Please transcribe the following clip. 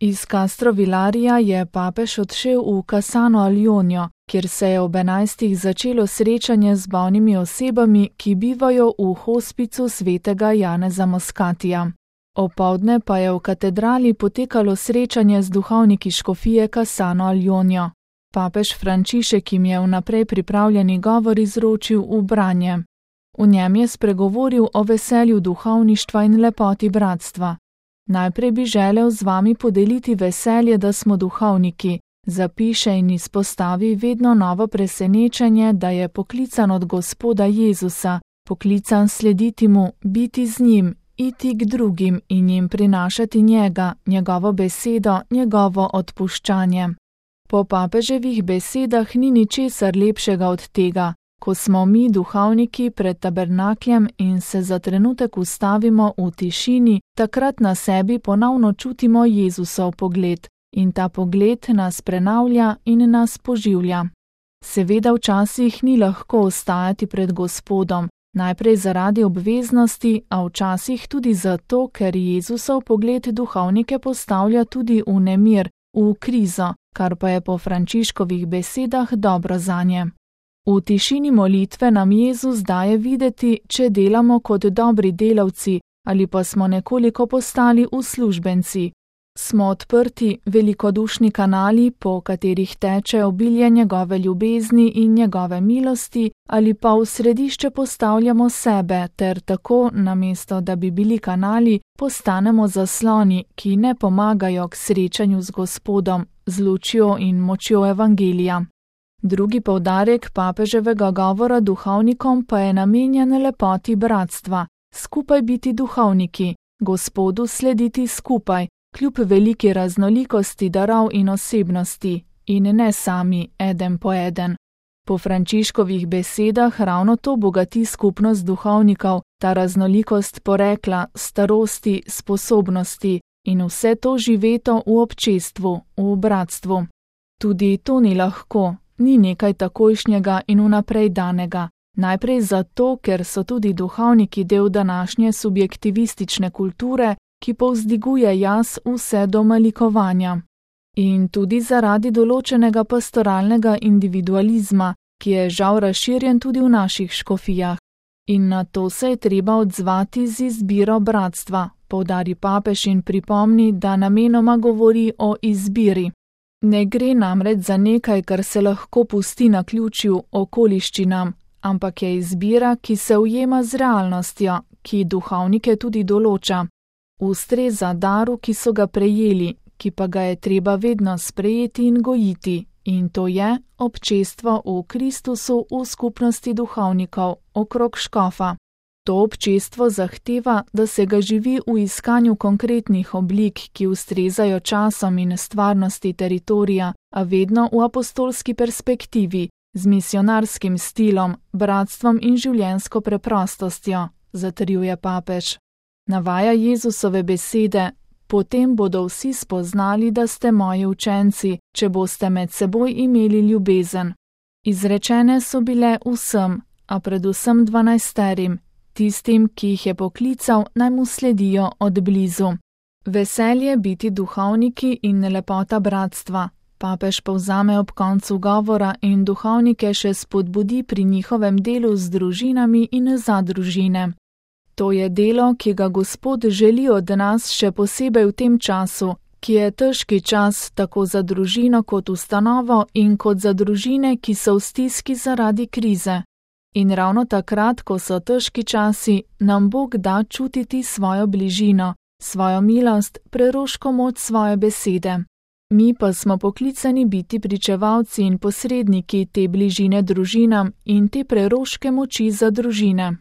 Iz Castro Villarija je papež odšel v Cassano al Ionio, kjer se je ob 11. začelo srečanje z bolnimi osebami, ki bivajo v hospicu svetega Janeza Moscatija. Opoldne pa je v katedrali potekalo srečanje z duhovniki škofije Cassano al Ionio. Papež Frančišek jim je vnaprej pripravljeni govor izročil v branje. V njem je spregovoril o veselju duhovništva in lepoti bratstva. Najprej bi želel z vami podeliti veselje, da smo duhovniki, zapiše in izpostavi vedno novo presenečenje, da je poklican od Gospoda Jezusa, poklican slediti mu, biti z njim, iti k drugim in jim prinašati njega, njegovo besedo, njegovo odpuščanje. Po papeževih besedah ni ničesar lepšega od tega, ko smo mi duhovniki pred tabernakljem in se za trenutek ustavimo v tišini, takrat na sebi ponovno čutimo Jezusov pogled in ta pogled nas prenavlja in nas poživlja. Seveda včasih ni lahko ostajati pred Gospodom, najprej zaradi obveznosti, a včasih tudi zato, ker Jezusov pogled duhovnike postavlja tudi v nemir, v krizo, kar pa je po Frančiškovih besedah dobro zanje. V tišini molitve nam Jezus daje videti, če delamo kot dobri delavci ali pa smo nekoliko postali uslužbenci. Smo odprti, velikodušni kanali, po katerih teče obilje njegove ljubezni in njegove milosti, ali pa v središče postavljamo sebe ter tako, namesto da bi bili kanali, postanemo zasloni, ki ne pomagajo k srečanju z Gospodom, z lučjo in močjo evangelija. Drugi poudarek papeževega govora duhovnikom pa je namenjen lepoti bratstva, skupaj biti duhovniki, Gospodu slediti skupaj, kljub veliki raznolikosti darov in osebnosti, in ne sami, eden po eden. Po Frančiškovih besedah ravno to bogati skupnost duhovnikov, ta raznolikost porekla, starosti, sposobnosti in vse to živeto v občestvu, v bratstvu. Tudi to ni lahko, ni nekaj takojšnjega in vnaprej danega. Najprej zato, ker so tudi duhovniki del današnje subjektivistične kulture, ki povzdiguje jaz vse do malikovanja. In tudi zaradi določenega pastoralnega individualizma, ki je žal razširjen tudi v naših škofijah. In na to se je treba odzvati z izbiro bratstva, poudari papež in pripomni, da namenoma govori o izbiri. Ne gre namreč za nekaj, kar se lahko pusti naključju okoliščinam, ampak je izbira, ki se ujema z realnostjo, ki duhovnike tudi določa. Ustreza daru, ki so ga prejeli, ki pa ga je treba vedno sprejeti in gojiti, in to je občestvo v Kristusu v skupnosti duhovnikov okrog škofa. To občestvo zahteva, da se ga živi v iskanju konkretnih oblik, ki ustrezajo časom in stvarnosti teritorija, a vedno v apostolski perspektivi, z misionarskim stilom, bratstvom in življenjsko preprostostjo, zatrjuje papež. Navaja Jezusove besede: potem bodo vsi spoznali, da ste moji učenci, če boste med seboj imeli ljubezen. Izrečene so bile vsem, a predvsem 12, tistim, ki jih je poklical, naj mu sledijo od blizu. Veselje biti duhovniki in lepota bratstva. Papež povzame ob koncu govora in duhovnike še spodbudi pri njihovem delu z družinami in za družine. To je delo, ki ga Gospod želi od nas še posebej v tem času, ki je težki čas tako za družino kot ustanovo in kot za družine, ki so v stiski zaradi krize. In ravno takrat, ko so težki časi, nam Bog da čutiti svojo bližino, svojo milost, preroško moč svoje besede. Mi pa smo poklicani biti pričevalci in posredniki te bližine družinam in te preroške moči za družine.